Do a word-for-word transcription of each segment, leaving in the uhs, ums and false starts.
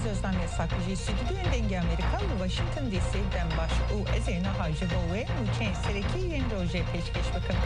Zozan Yasak ji stûdyoyên Dengê Amerîka li Washington D C dem baş û ez ê niha ji bo we nûçeyên serekî yên rojê pêşkêş bikim.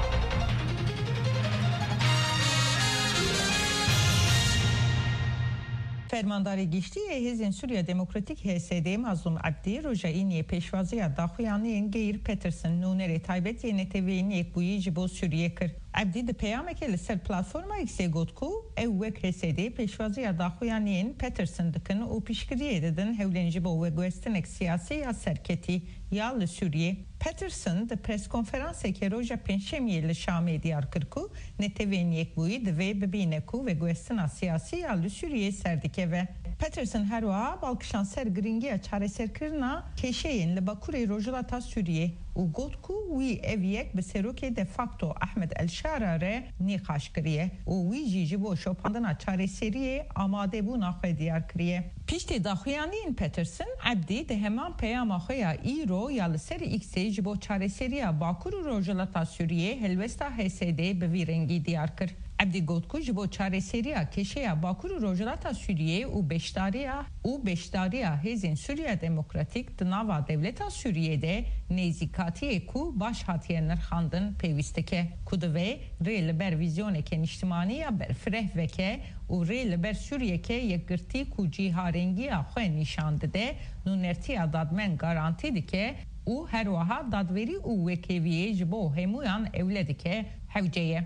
Fermandarê Giştî yê Hêzên Sûriya Demokratîk H S D Mazlûm Ebdî roja Îniyê pêşwaziya daxuyaniyên Geir Peterson, nûnerê taybet yê Neteweyên Yekbûyî ji bo Sûriyê kir. Ebdî di peyamekê li ser platforma X-ê got ku ew wek H S D pêşwaziya daxuyaniyên Peterson dikin û piştgiriyê didin hewlên ji bo veguhestinek siyasî ya serketî ya li Sûriyê. Peterson di preskonferansekê roja Pêncşemiyê li Şamê diyar kir ku Netewên Yekbûyî divê bibîne ku veguhestina siyasî ya li Sûriyê ser dikeve. Peterson her wiha bal kişand ser girîngiya çareserkirina kêşeyên li bakurê rojhilata Sûriyê û got ku wî ev yek bi serokê de facto Ahmed El Şara re nîqaş kiriye û wî jî ji bo şopandina çareseriyê amadebûna xwe diyar kiriye. Piştî daxuyaniyên Peterson, Ebdî di heman peyama xwe ya îro ya li ser X-ê ji bo çareseriya Bakur û Rojhilata Sûriyê helwesta H S D bi vî rengî diyar kir. Ebdî got ku ji bo çareseriya kêşeya Bakur û Rojhilata Sûriyê û beşdariya û beşdariya Hêzên Sûriya Demokratîk di nava dewleta Sûriyê de nêzîkatiyê ku baş hatiye nirxandin pêwîst dike, ku divê rê li ber vîzyoneke niştimanî ya berfireh veke û rê li ber Sûriyeke yekgirtî ku cîharengiya xwe nîşan dide, nûnertiya dadmend garantî dike û her wiha dadwerî û wekheviyê ji bo hemûyan ewle dike, hewce ye.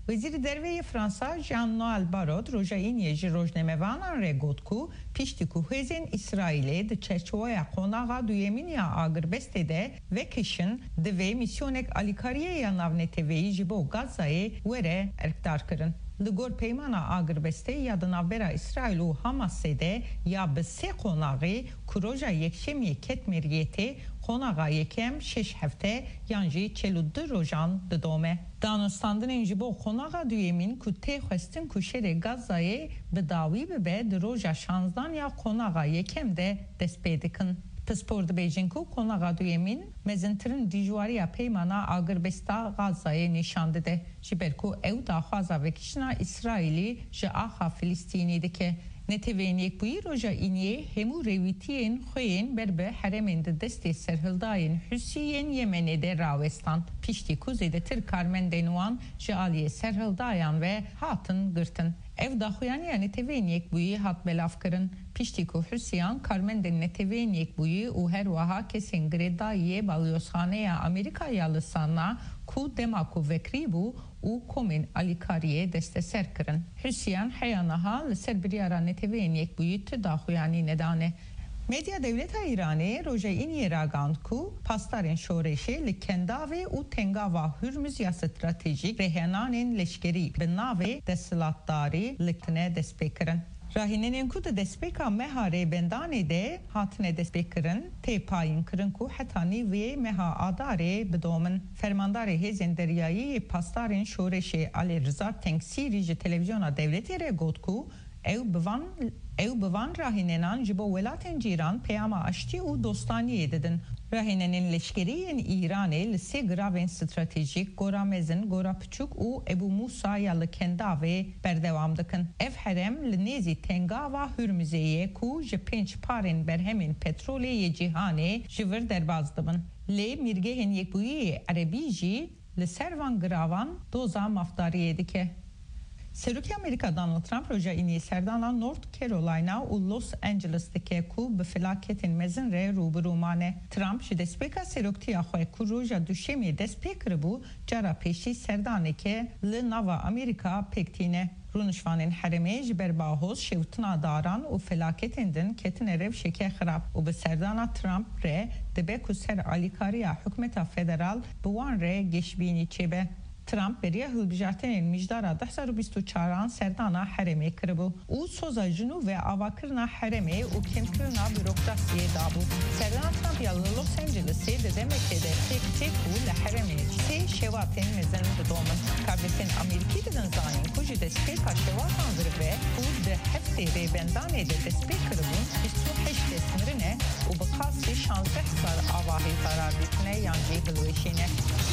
Wezîrê Derve yê Fransa Jean-Noel Barrot roja Îniyê ji rojnamevanan re got ku piştî ku hêzên Îsraîlê di çerçoveya qonaxa duyemîn ya agirbestê de vekişin, divê mîsyonek alîkariyê ya navneteweyî ji bo Gazayê were erkdarkirin. Li gor peymana agirbestê ya di navbera Îsraîl û Hamasê de ya bi sê qonaxî ku roja Yekşemiyê ket meriyetê, qonaxa yekem şeş hefte yan jî çel û du rojan didome. Danûstandinên ji bo qonaxa duyemîn ku tê xwestin ku şerê Gazayê bi dawî bibe, di roja şanzdan ya qonaxa yekem de dest pê dikin. Pispor dibêjin ku qonaxa duyemîn mezintirin dijwariya peymana agirbesta Gazayê nîşan dide, ji ber ku ew daxwaza vekiştina Îsraîlî ji axa Filistînî dike. Neteweyên Yekbûyî roja Îniyê hemû rêwîtiyên xwe yên ber bi herêmên di destê serhildayên Husî yên Yemenê de rawestan, piştî ku zêdetir karmendên wan ji aliyê serhildayan ve hatin girtin. Ev daxuyaniya Neteweyên Yekbûyî hat belavkirin, piştî ku Husiyan karmendên Neteweyên Yekbûyî û her wiha kesên girêdayî yê balyozxaneya Amerîka ya li San'a ku dema ku vekirî bû û komên alîkariyê desteser kirin. Husiyan heya niha li ser biryara Neteweyên Yekbûyî tu daxuyanî nedane. Medya dewleta Îranê roja Îniyê ragihand ku pasdarên şoreşê li Kendavê û Tengava Hurmuz ya stratejîk rêhenanên leşkerî bi navê desthilatdarî li tine destpêkirin. Rahînenên ku di destpêka meha Rêbendanê de hatine destpêkirin, tê payînkirin ku heta nîvê meha Adarê bidomin. Fermandarê Hêzên Deryayî yê Pasdarên Şoreşê Alî Riza Tengsîrî ji televîzyona dewletê re got ku ew bi van, ew bi van rahînenan ji bo welatên cîran peyama aştî û dostaniyê didin. Rahînenên leşkerî yên Îranê li sê giravên stratejîk, Gora Mezin, Gora Piçûk û Ebû Mûsa ya li Kendavê berdewam dikin. Ev herêm li nêzî Tengava Hurmizê ye ku ji pênc parên berhemên petrolê yê cîhanê ji vir derbas dibin. Lê mîrgehên Yekbûyî yê Erebî jî li ser van giravan doza mafdariyê dike. Serokê Amerîka Donald Trump roja Îniyê serdana North Carolina û Los Angeles dike ku bi felaketên mezin re rû bi rû mane. Trump ji destpêka seroktiya xwe ku roja Duşemê dest pê kiribû, cara pêşî serdaneke li nava Amerîka pêk tîne. Rûnişvanên herêmê ji ber bahoz, şewtina daran û felaketên din ketine rewşeke xirab û bi serdana Trump re dibe ku ser alîkariya hikûmeta federal bi wan re geşbînî çêbe. Trump beriya hilbijartinên mijdara du hezar û bîst û çaran serdana herêmê kiribû û soza jinû ve avakirina herêmê û kêmkirina burokrasiyê dabû. Serdana Trump ya li Los Angelesê di demekê de pêk tê ku li herêmê sê şewatên mezin didomin. Karvêsên Amerîkî didin zanîn ku ji destpêka şewatan vir ve ku di heftê Rêbendanê de destpê kiribûn, bîst û heşt kes mirine û bi qasî şazdeh hezar avahî zarar dîtine yan jî hilweşîne.